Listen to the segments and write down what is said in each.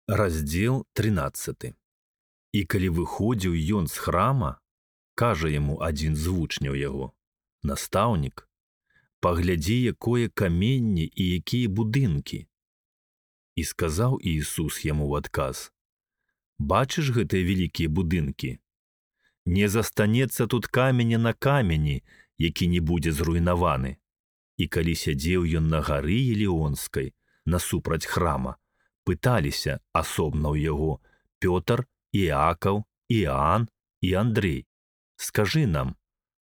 Раздзел 13. І калі выходзіў ён з храма, кажа яму адзін з вучняў яго: «Настаўнік, паглядзі, якое каменне і якія будынкі». І сказаў Ісус яму ў адказ: «Бачыш гэтыя вялікія будынкі? Не застанецца тут каменя на камені, які не будзе зруйнаваны». І калі сядзеў ён на гары Елеонскай, насупраць храма, пыталіся асобна ў яго Пётр, Іакаў, Іаан і Андрэй: «Скажы нам,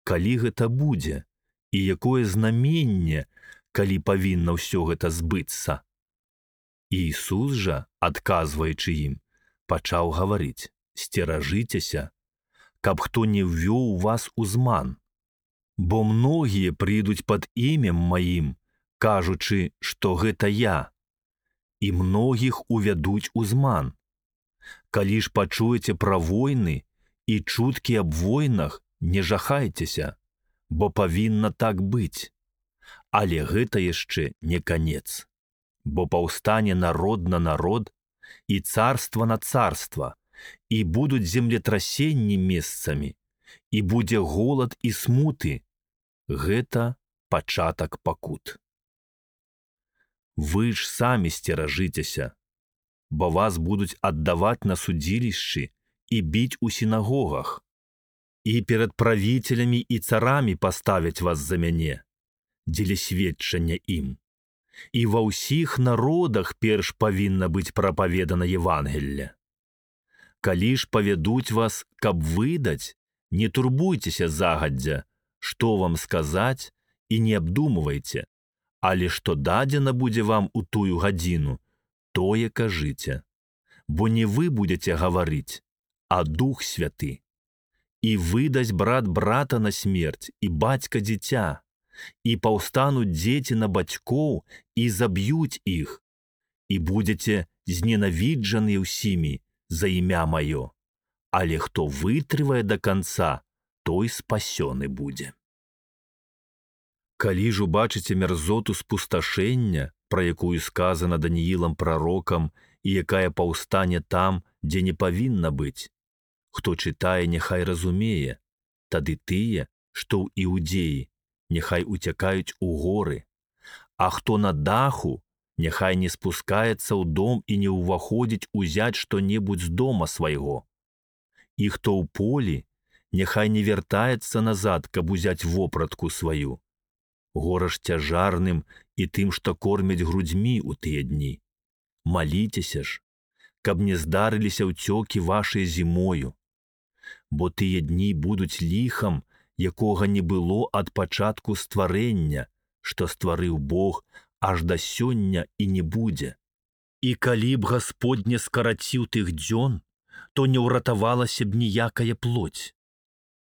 калі гэта будзе, і якое знаменне, калі павінна ўсё гэта збыцца?» І Ісус жа, адказваючы ім, пачаў гаварыць: «Сцеражыцеся, каб хто не ўвёў вас у зман. Бо многія прыйдуць пад імем маім, кажучы, што гэта я, і многіх увядуць у зман. Калі ж пачуеце пра войны і чуткі аб войнах, не жахайцеся, бо павінна так быць. Але гэта яшчэ не канец. Бо паўстане народ на народ і царства на царства, і будуць землетрасенні месцамі, і будзе голад і смуты. Гэта пачатак пакут. Вы ж самі сцеражыцеся, бо вас будуць аддаваць на судзілішчы і біць у сінагогах, і перад правіцелямі і царамі паставяць вас за мяне, дзеля сведчання ім. І ва ўсіх народах перш павінна быць прапаведана Евангелле. Калі ж павядуць вас, каб выдаць, не турбуйцеся загадзя, што вам сказаць, і не абдумвайце, але што дадзена будзе вам у тую гадзіну, тое кажыце. Бо не вы будзеце гаварыць, а Дух Святы. І выдасць брат брата на смерць, і бацька дзіця, і паўстануць дзеці на бацькоў, і заб'юць іх, і будзеце зненавіджаны ўсімі за імя маё. Але хто вытрывае да канца, той спасёны будзе. Калі ж убачыце мярзоту спусташэння, пра якую сказана Даніілам прарокам, і якая паўстане там, дзе не павінна быць, хто чытае, няхай разумее, тады тыя, што ў Іудзеі, няхай уцякаюць у горы, а хто на даху, няхай не спускаецца ў дом і не ўваходзіць узяць што-небудзь з дома свайго. І хто ў полі, няхай не вяртаецца назад, каб узяць вопратку сваю. Гора ж цяжарным і тым, што кормяць грудзьмі ў тыя дні. Маліцеся ж, каб не здарыліся ўцёкі вашыя зімою. Бо тыя дні будуць ліхам, якога не было ад пачатку стварэння, што стварыў Бог, аж да сёння і не будзе. І калі б Гасподне скараціў тых дзён, то не ўратавалася б ніякая плоть.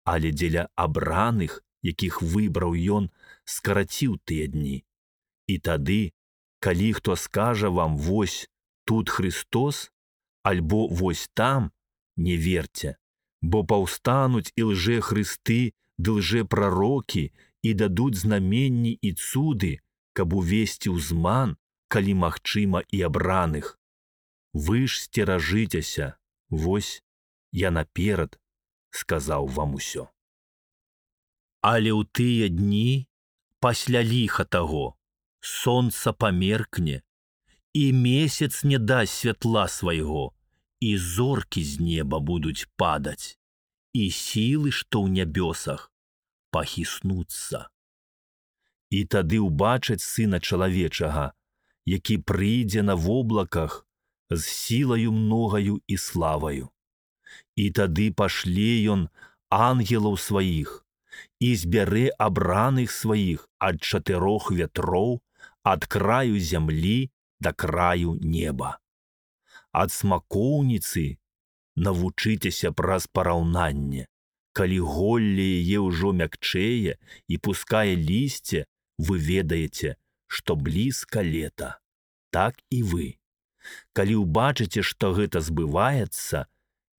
Але дзеля абраных, якіх выбраў ён, скараціў тыя дні. І тады, калі хто скажа вам: «Вось тут Христос», альбо «Вось там», не верце, бо паўстануць і лжэхрысты ды лжэпрарокі і дадуць знаменні і цуды, каб увесці ў зман, калі магчыма, і абраных. Вы ж сцеражыцеся, вось я наперад сказаў вам усё. Але ў тыя дні, пасля ліха таго, сонца памеркне, і месяц не дасць святла свайго, і зоркі з неба будуць падаць, і сілы, што ў нябёсах, пахіснуцца. І тады ўбачаць Сына чалавечага, які прыйдзе на воблаках з сілаю многаю і славаю. І тады пашле ён ангелаў сваіх, і збярэ абраных сваіх ад 4 вятроў, ад краю зямлі да краю неба. Ад смакоўніцы навучыцеся праз параўнанне. Калі голле яе ўжо мякчэе і пускае лісце, вы ведаеце, што блізка лета. Так і вы. Калі ўбачыце, што гэта збываецца,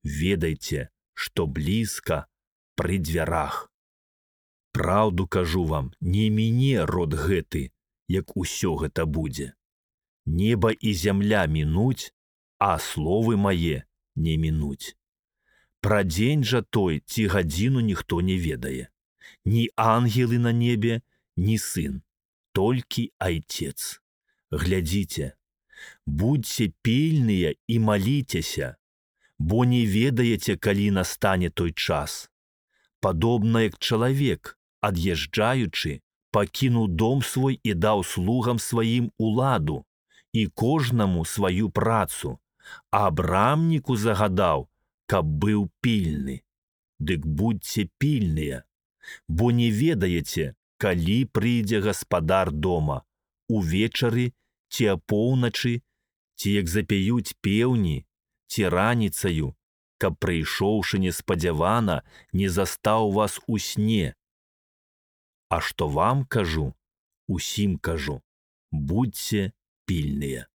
ведайце, што блізка пры дзвярах. Праўду кажу вам, не міне род гэты, як усё гэта будзе. Неба і зямля мінуць, а словы мае не мінуць. Пра дзень жа той ці гадзіну ніхто не ведае. Ні ангелы на небе, ні сын, толькі Айцец. Глядзіце, будзьце пільныя і маліцеся, бо не ведаеце, калі настане той час. Падобна як чалавек, ад'язджаючы, пакінуў дом свой і даў слугам сваім уладу, і кожнаму сваю працу, а брамніку загадаў, каб быў пільны. Дык будьце пільныя, бо не ведаеце, калі прыйдзе гаспадар дома, увечары ці апоўначы, ці як запяюць пеўні, ці раніцаю, каб, прыйшоўшы неспадзявана, не застаў вас у сне. А што вам кажу, усім кажу, будьце пільныя.